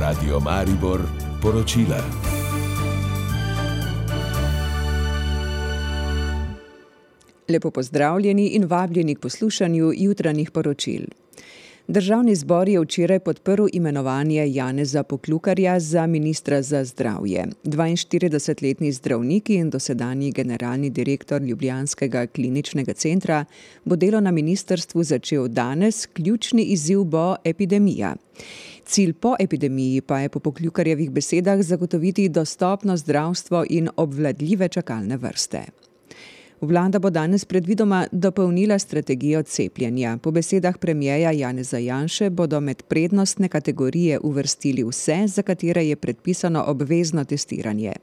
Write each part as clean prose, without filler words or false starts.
Radio Maribor poročila. Lepo pozdravljeni in vabljeni k poslušanju jutranjih poročil. Državni zbor je včeraj podprl imenovanje Janeza Poklukarja za ministra za zdravje. 42-letni zdravnik in dosedanji generalni direktor ljubljanskega kliničnega centra bo delo na ministrstvu začel danes, ključni izziv bo epidemija. Cilj po epidemiji pa je po Poklukarjevih besedah zagotoviti dostopno zdravstvo in obvladljive čakalne vrste. Vlada bo danes predvidoma dopolnila strategijo cepljenja. Po besedah premierja Janeza Janše bodo med prednostne kategorije uvrstili vse, za katere je predpisano obvezno testiranje.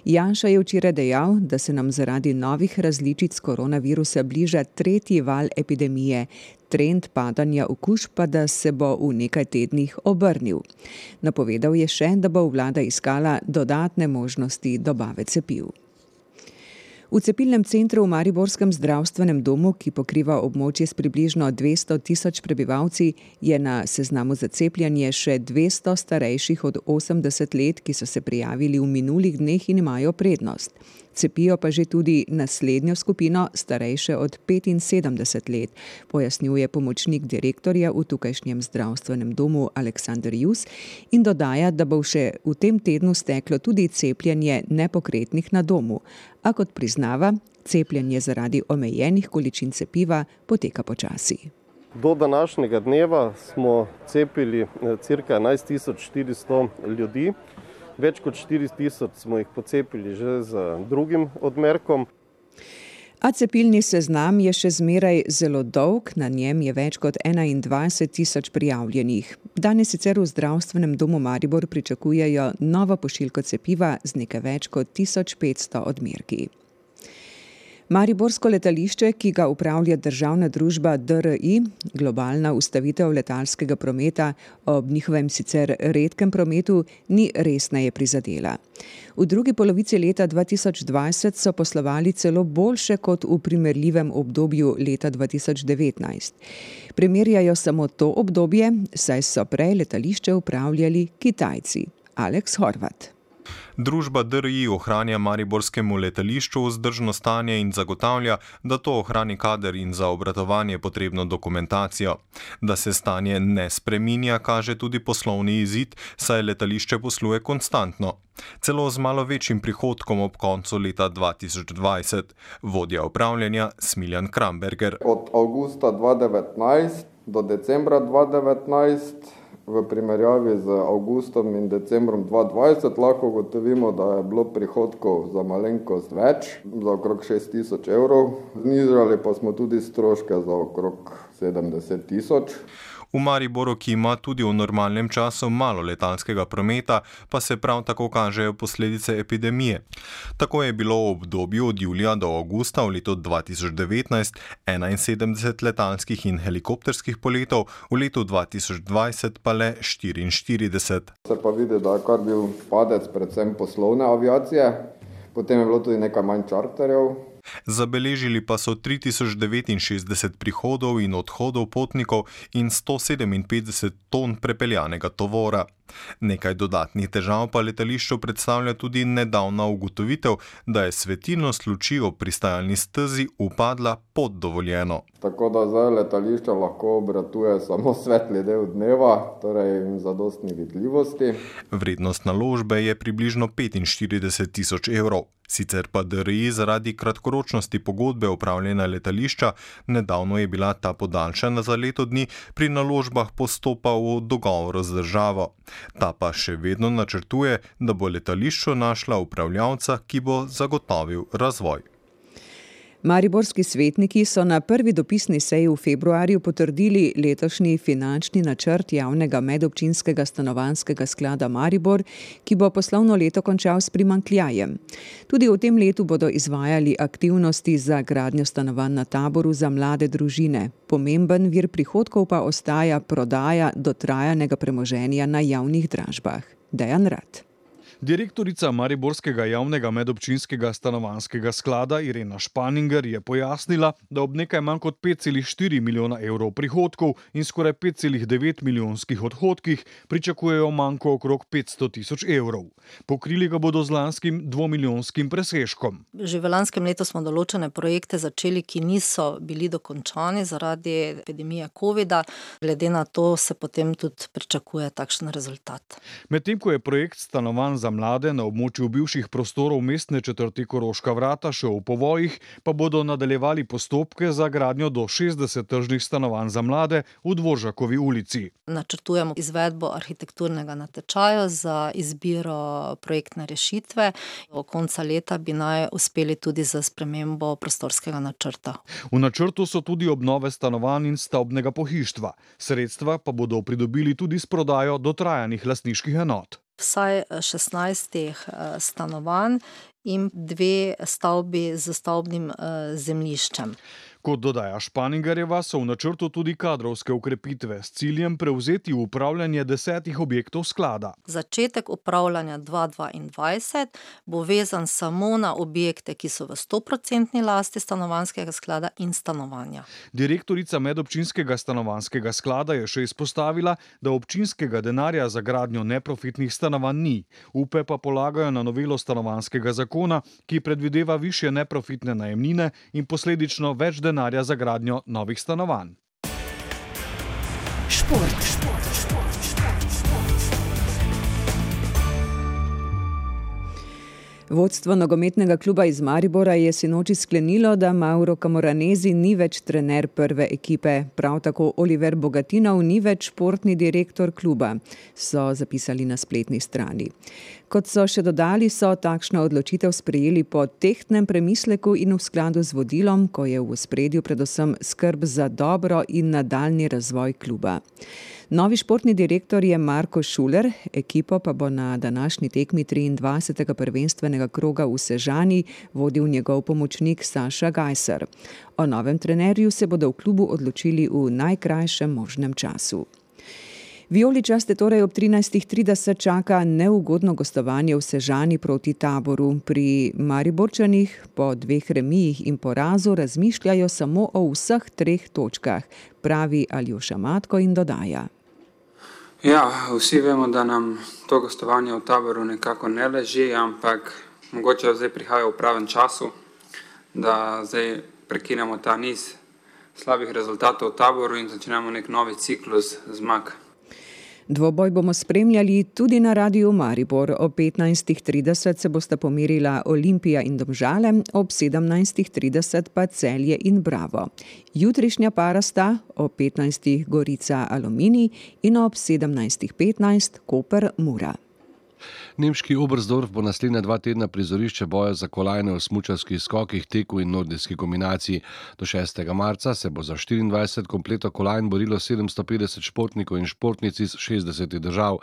Janša je včeraj dejal, da se nam zaradi novih različic koronavirusa bliža tretji val epidemije, trend padanja okužb pa da se bo v nekaj tednih obrnil. Napovedal je še, da bo vlada iskala dodatne možnosti dobave cepiv. V cepilnem centru v Mariborskem zdravstvenem domu, ki pokriva območje s približno 200 tisoč prebivalci, je na seznamu za cepljenje še 200 starejših od 80 let, ki so se prijavili v minulih dneh in imajo prednost. Cepijo pa že tudi naslednjo skupino, starejše od 75 let, pojasnjuje pomočnik direktorja v tukajšnjem zdravstvenem domu Aleksander Jus in dodaja, da bo še v tem tednu steklo tudi cepljenje nepokretnih na domu, a kot priznava, cepljenje zaradi omejenih količin cepiva poteka počasi. Do današnjega dneva smo cepili cirka 11.400 ljudi. Več kot 4.000 smo jih pocepili že z drugim odmerkom. A cepilni seznam je še zmeraj zelo dolg, na njem je več kot 21.000 prijavljenih. Danes sicer v zdravstvenem domu Maribor pričakujejo novo pošiljko cepiva z nekaj več kot 1500 odmerki. Mariborsko letališče, ki ga upravlja državna družba DRI, globalna ustavitev letalskega prometa ob njihovem sicer redkem prometu, ni resneje prizadela. V drugi polovici leta 2020 so poslovali celo boljše kot v primerljivem obdobju leta 2019. Primerjajo samo to obdobje, saj so prej letališče upravljali Kitajci. Aleks Horvat. Družba DRI ohranja mariborskemu letališču vzdržno stanje in zagotavlja, da to ohrani kader in za obratovanje potrebno dokumentacijo. Da se stanje ne spreminja, kaže tudi poslovni izid, saj letališče posluje konstantno. Celo z malo večjim prihodkom ob koncu leta 2020. Vodja upravljanja Smiljan Kramberger. Od avgusta 2019 do decembra 2019 v primerjavi z avgustom in decembrom 2020 lahko ugotovimo, da je bilo prihodkov za malenkost več, za okrog 6.000 evrov. Znižali pa smo tudi stroške za okrog 70.000. V Mariboru, ki ima tudi v normalnem času malo letalskega prometa, pa se prav tako kažejo posledice epidemije. Tako je bilo v obdobju od julija do avgusta v letu 2019 71 letalskih in helikopterskih poletov, v letu 2020 pa le 44. Se pa vidi, da je kar bil padec predvsem poslovne aviacije, potem je bilo tudi nekaj manj čarterjev. Zabeležili pa so 3069 prihodov in odhodov potnikov in 157 ton prepeljanega tovora. Nekaj dodatnih težav pa letališču predstavlja tudi nedavna ugotovitev, da je svetilnost luči ob pristajalni stezi upadla pod dovoljeno. Tako da zdaj letališče lahko obratuje samo svetli del dneva, torej zadostni vidljivosti. Vrednost naložbe je približno 45.000 evrov. Sicer pa DRI zaradi kratkoročnosti pogodbe upravljanja letališča, nedavno je bila ta podaljšana za leto dni, pri naložbah postopa v dogovoru z državo. Ta pa še vedno načrtuje, da bo letališču našla upravljavca, ki bo zagotovil razvoj. Mariborski svetniki so na prvi dopisni seji v februarju potrdili letošnji finančni načrt javnega medobčinskega stanovanjskega sklada Maribor, ki bo poslovno leto končal s primanjkljajem. Tudi v tem letu bodo izvajali aktivnosti za gradnjo stanovanj na Taboru za mlade družine. Pomemben vir prihodkov pa ostaja prodaja dotrajanega premoženja na javnih dražbah. Dejan Rad. Direktorica Mariborskega javnega medobčinskega stanovanjskega sklada Irena Španinger je pojasnila, da ob nekaj manj kot 5,4 milijona evrov prihodkov in skoraj 5,9 milijonskih odhodkih pričakujejo manko okrog 500 tisoč evrov. Pokrili ga bodo z lanskim 2-milijonskim presežkom. Že v lanskem letu smo določene projekte začeli, ki niso bili dokončani zaradi epidemije covida. Glede na to se potem tudi pričakuje takšen rezultat. Medtem ko je projekt stanovanj za mlade na območju bivših prostorov mestne četrti Koroška Vrata še v povojih, pa bodo nadaljevali postopke za gradnjo do 60 tržnih stanovanj za mlade v Dvoržakovi ulici. Načrtujemo izvedbo arhitekturnega natečaja za izbiro projektne rešitve. Do konca leta bi naj uspeli tudi za spremembo prostorskega načrta. V načrtu so tudi obnove stanovanj in stavbnega pohištva. Sredstva pa bodo pridobili tudi s prodajo dotrajanih lastniških enot. Vsaj 16 stanovanj in 2 stavbi z stavbnim zemljiščem. Kot dodaja Španingerjeva, so v načrtu tudi kadrovske ukrepitve s ciljem prevzeti upravljanje 10 objektov sklada. Začetek upravljanja 2022 bo vezan samo na objekte, ki so v 100% lasti stanovanjskega sklada in stanovanja. Direktorica medobčinskega stanovanjskega sklada je še izpostavila, da občinskega denarja za gradnjo neprofitnih stanovanj ni. Upe pa polagajo na novelo stanovanjskega zakona, ki predvideva višje neprofitne najemnine in posledično več denarja za gradnjo novih stanovanj. Šport. Vodstvo nogometnega kluba iz Maribora je sinoči sklenilo, da Mauro Camoranesi ni več trener prve ekipe. Prav tako Oliver Bogatinov ni več športni direktor kluba, so zapisali na spletni strani. Kot so še dodali, so takšno odločitev sprejeli po tehtnem premisleku in v skladu z vodilom, ko je v ospredju predvsem skrb za dobro in nadaljnji razvoj kluba. Novi športni direktor je Marko Šuler, ekipo pa bo na današnji tekmi 23. prvenstvenega kroga v Sežani vodil njegov pomočnik Saša Gajser. O novem trenerju se bodo v klubu odločili v najkrajšem možnem času. Vijoličaste torej ob 13.30 čaka neugodno gostovanje v Sežani proti Taboru. Pri Mariborčanih po 2 remijih in porazu razmišljajo samo o vseh 3 točkah, pravi Aljoša Matko in dodaja. Ja, vsi vemo, da nam to gostovanje v Taboru nekako ne leži, ampak mogoče zdaj prihaja v pravem času, da zdaj prekinemo ta niz slabih rezultatov v Taboru in začnemo nek novi ciklus zmag. Dvoboj bomo spremljali tudi na Radiu Maribor. O 15.30 se bosta pomerila Olimpija in Domžale, ob 17.30 pa Celje in Bravo. Jutrišnja para sta o 15. Gorica Aluminij in ob 17.15 Koper Mura. Nemški Oberstdorf bo naslednja 2 tedna prizorišče boja za kolajne v smučarskih skokih, teku in nordijski kombinaciji. Do 6. marca se bo za 24 kompletov kolajn borilo 750 športnikov in športnic iz 60 držav.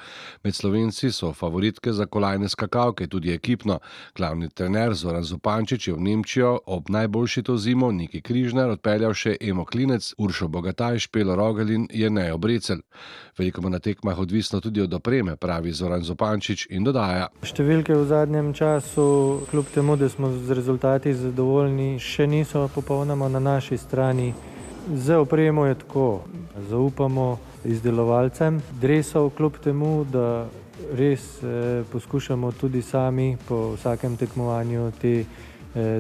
Med Slovenci so favoritke za kolajne skakavke, tudi ekipno. Glavni trener Zoran Zupančič je v Nemčijo ob najboljši to zimo Niki Križnar odpeljal še Emo Klinec, Uršo Bogataj, Špelo Rogelj in Jernejo Brecelj. Veliko bo na tekmah odvisno tudi od opreme, pravi Zoran Zupančič in dodaja. Številke v zadnjem času, kljub temu, da smo z rezultati zadovoljni, še niso popolnoma na naši strani. Z opremo je tako. Zaupamo izdelovalcem dresov, kljub temu, da res poskušamo tudi sami po vsakem tekmovanju te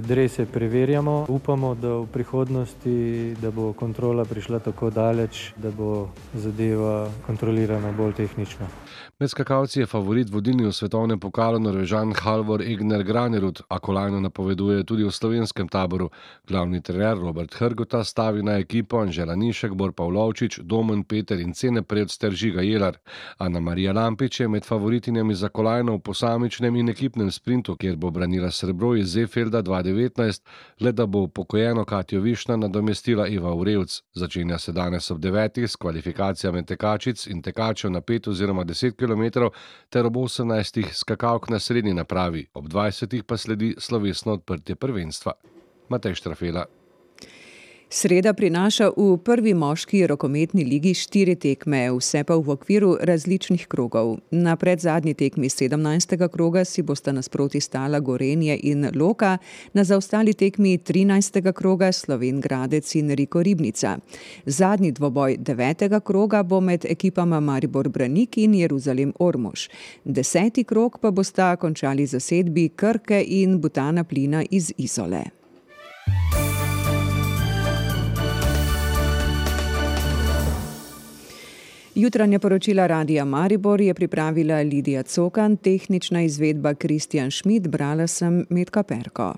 drese preverjamo. Upamo, da v prihodnosti, da bo kontrola prišla tako daleč, da bo zadeva kontrolirana bolj tehnično. Med skakalci je favorit vodilni v svetovnem pokalu Norvežan Halvor Egner Granerud, a kolajno napoveduje tudi v slovenskem Taboru. Glavni trener Robert Hrgota stavi na ekipo Anžela Nišek, Bor Pavlovčič, Domen Peter in Cene Predst ter Žiga Jelar. Ana Marija Lampič je med favoritinjami za kolajno v posamičnem in ekipnem sprintu, kjer bo branila srebro iz Zeefelda 2019, le da bo upokojeno Katjo Višna nadomestila Iva Urevc. Začenja se danes ob 9. s kvalifikacijami tekačic in tekačev na 5 oziroma 10 km ter ob 18. skakalk na srednji napravi. Ob 20. pa sledi slovesno odprtje prvenstva. Matej Štrafela. Sreda prinaša v prvi moški rokometni ligi 4 tekme, vse pa v okviru različnih krogov. Na predzadnji tekmi 17. kroga si bosta nasproti stala Gorenje in Loka, na zaostali tekmi 13. kroga Slovenj Gradec in Riko Ribnica. Zadnji dvoboj 9. kroga bo med ekipama Maribor Branik in Jeruzalem Ormož. 10. krog pa bosta končali zasedbi Krke in Butana Plina iz Izole. Jutranja poročila Radia Maribor je pripravila Lidija Cokan, tehnična izvedba Kristjan Šmid, brala sem Metka Perko.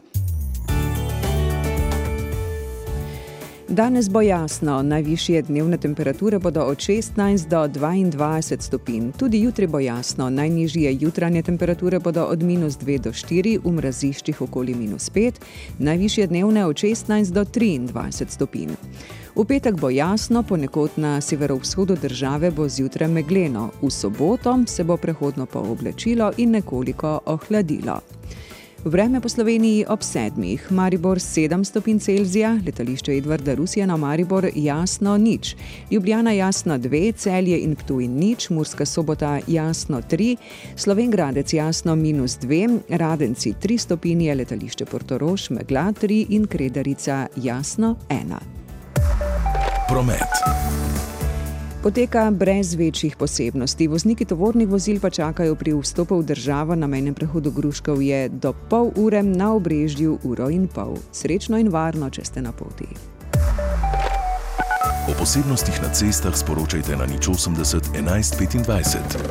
Danes bo jasno, najvišje dnevne temperature bodo od 16 do 22 stopinj. Tudi jutri bo jasno, najnižje jutranje temperature bodo od -2 do 4, v mraziščih okoli -5, najvišje dnevne od 16 do 23 stopinj. V petek bo jasno, ponekod na severovzhodu države bo zjutraj megleno. V soboto se bo prehodno pooblačilo in nekoliko ohladilo. Vreme po Sloveniji ob 7. Maribor 7 stopinj Celzija, letališče Edvarda Rusjana Maribor jasno 0, Ljubljana jasno 2, Celje in Ptuj 0, Murska Sobota jasno 3, Slovenj Gradec jasno -2, Radenci 3 stopinje, letališče Portorož megla 3 in Kredarica jasno 1. Promet. Poteka brez večjih posebnosti. Vozniki tovornih vozil pa čakajo pri vstopu v državo na mejnem prehodu Gruškovje do pol ure, na Obrežju 1,5 ure. Srečno in varno, če ste na poti. O posebnostih na cestah sporočajte na 080 11 25.